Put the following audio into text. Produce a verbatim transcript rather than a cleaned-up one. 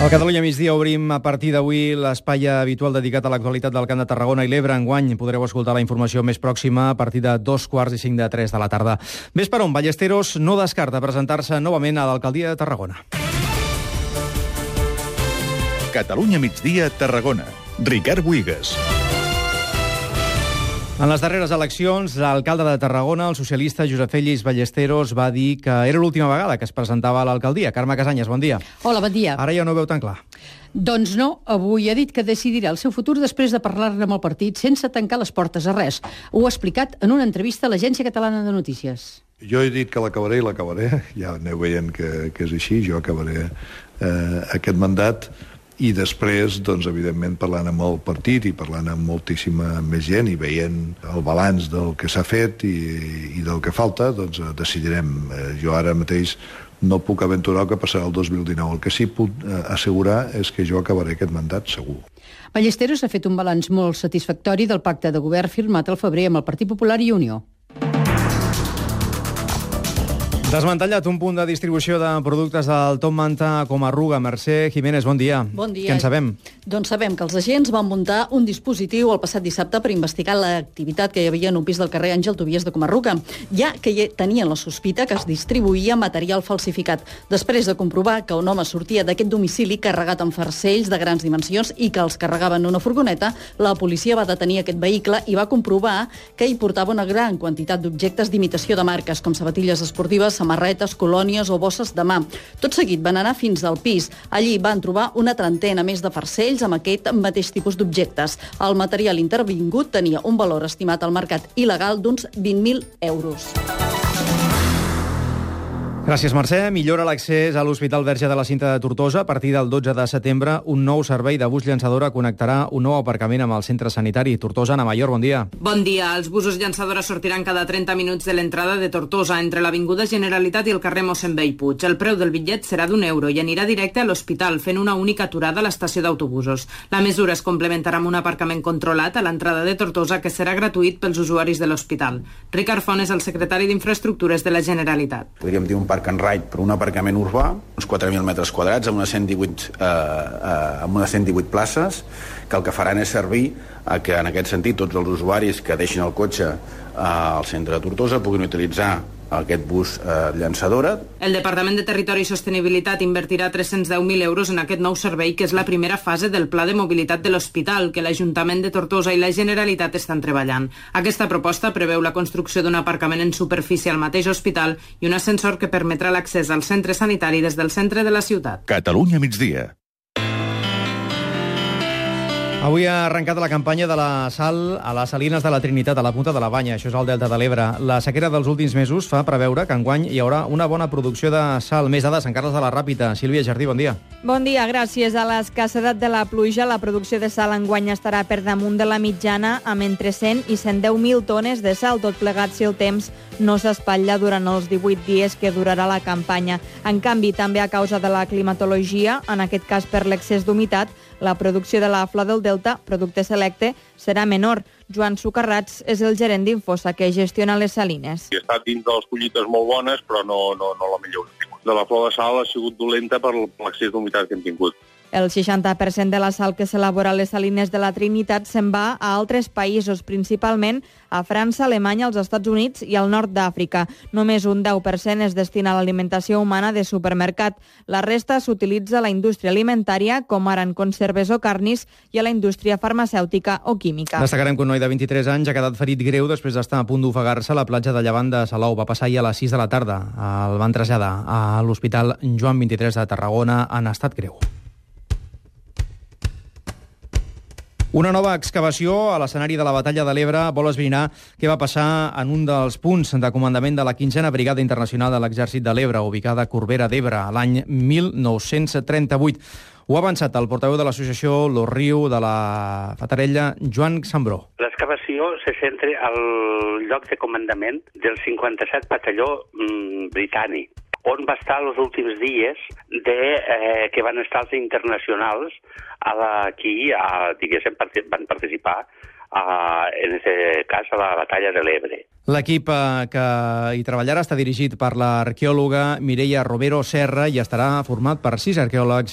Al Catalunya migdia obrim a partir d'avui l'espai habitual dedicat a l'actualitat del Camp de Tarragona i l'Ebre. Enguany podreu escoltar la informació més pròxima a partir de dos quarts i cinc de tres de la tarda. Ves per on, Ballesteros no descarta presentar-se novament a l'alcaldia de Tarragona. Catalunya migdia, Tarragona. Ricard Buigas. En les darreres eleccions, l'alcalde de Tarragona, el socialista Josep Fèlix Ballesteros, va dir que era l'última vegada que es presentava a l'alcaldia. Carme Casanyes, bon dia. Hola, bon dia. Ara ja no ho veu tan clar. Doncs no, avui ha dit que decidirà el seu futur després de parlar-ne amb el partit sense tancar les portes a res. Ho ha explicat en una entrevista a l'Agència Catalana de Notícies. Jo he dit que l'acabaré i l'acabaré, ja aneu veient que, que és així, jo acabaré eh, aquest mandat i després, doncs, evidentment, parlant amb el partit i parlant amb moltíssima més gent i veient el balanç del que s'ha fet i, i del que falta, doncs decidirem. Eh, jo ara mateix no puc aventurar el que passarà el dos mil dinou. El que sí puc eh, assegurar és que jo acabaré aquest mandat segur. Ballesteros ha fet un balanç molt satisfactori del pacte de govern firmat al febrer amb el Partit Popular i Unió. Desmantellat un punt de distribució de productes del Top Manta com Arruga. Mercè Jiménez, bon dia. Bon dia. Què en sabem? Doncs sabem que els agents van muntar un dispositiu el passat dissabte per investigar l'activitat que hi havia en un pis del carrer Àngel Tobias de Comarruga, ja que hi tenien la sospita que es distribuïa material falsificat. Després de comprovar que un home sortia d'aquest domicili carregat amb farcells de grans dimensions i que els carregava en una furgoneta, la policia va detenir aquest vehicle i va comprovar que hi portava una gran quantitat d'objectes d'imitació de marques, com sabatilles esportives, samarretes, colònies o bosses de mà. Tot seguit van anar fins al pis. Allí van trobar una trentena més de farcells amb aquest mateix tipus d'objectes. El material intervingut tenia un valor estimat al mercat il·legal d'uns vint mil euros. Gràcies, Mercè. Millora l'accés a l'Hospital Verge de la Cinta de Tortosa. A partir del dotze de setembre, un nou servei de bus llançadora connectarà un nou aparcament amb el centre sanitari. Tortosa, Ana Mayor, bon dia. Bon dia. Els busos llançadora sortiran cada trenta minuts de l'entrada de Tortosa, entre l'Avinguda Generalitat i el carrer Mossèn Bellpuig. El preu del bitllet serà d'un euro i anirà directe a l'hospital, fent una única aturada a l'estació d'autobusos. La mesura es complementarà amb un aparcament controlat a l'entrada de Tortosa, que serà gratuït pels usuaris de l'hospital. Ricard Font és el secretari d'Infraestructures de la Generalitat. Podríem dir un park and ride per un aparcament urbà, uns quatre mil metres quadrats amb unes cent divuit, eh, eh, amb unes cent divuit places, que el que faran és servir a que, en aquest sentit, tots els usuaris que deixin el cotxe eh, al centre de Tortosa puguin utilitzar aquest bus eh, llançadora. El Departament de Territori i Sostenibilitat invertirà tres-cents deu mil euros en aquest nou servei, que és la primera fase del Pla de Mobilitat de l'Hospital, que l'Ajuntament de Tortosa i la Generalitat estan treballant. Aquesta proposta preveu la construcció d'un aparcament en superfície al mateix hospital i un ascensor que permetrà l'accés al centre sanitari des del centre de la ciutat. Catalunya migdia. Avui ha arrencat la campanya de la sal a les salines de la Trinitat, a la punta de la Banya. Això és al Delta de l'Ebre. La sequera dels últims mesos fa preveure que enguany hi haurà una bona producció de sal. Més dades, Sant Carles de la Ràpita. Sílvia Jardí, bon dia. Bon dia. Gràcies a l'escassedat de la pluja, la producció de sal enguany estarà per damunt de la mitjana, amb entre cent i cent deu mil tones de sal, tot plegat si el temps no s'espatlla durant els divuit dies que durarà la campanya. En canvi, també a causa de la climatologia, en aquest cas per l'excés d'humitat, la producció de la flor del Delta, producte selecte, serà menor. Joan Sucarrats és el gerent d'Infosa, que gestiona les salines. Ha estat dins de les collites molt bones, però no, no, no la millor. De la flor de sal ha sigut dolenta per l'excés d'humitat que hem tingut. El seixanta per cent de la sal que s'elabora a les salines de la Trinitat se'n va a altres països, principalment a França, Alemanya, els Estats Units i al nord d'Àfrica. Només un deu per cent es destina a l'alimentació humana de supermercat. La resta s'utilitza a la indústria alimentària, com ara en conserves o carnis, i a la indústria farmacèutica o química. Destacarem que un noi de vint-i-tres anys ha quedat ferit greu després d'estar a punt d'ofegar-se a la platja de llevant de Salou. Va passar ahir a les sis de la tarda. El van traslladar a l'Hospital Joan vint-i-tres de Tarragona en estat greu. Una nova excavació a l'escenari de la Batalla de l'Ebre vol esbrinar què va passar en un dels punts de comandament de la quinzena Brigada Internacional de l'Exèrcit de l'Ebre, ubicada a Corbera d'Ebre, l'any mil nou-cents trenta-vuit. Ho ha avançat el portaveu de l'associació Los Riu de la Fatarella, Joan Sambró. L'excavació se centra al lloc de comandament del cinquanta-set batalló mm, britànic, on va estar els últims dies de, eh, que van estar els internacionals a la, aquí, a, diguéssim, van participar a, en aquest cas a la Batalla de l'Ebre. L'equip eh, que hi treballarà està dirigit per l'arqueòloga Mireia Robero Serra i estarà format per sis arqueòlegs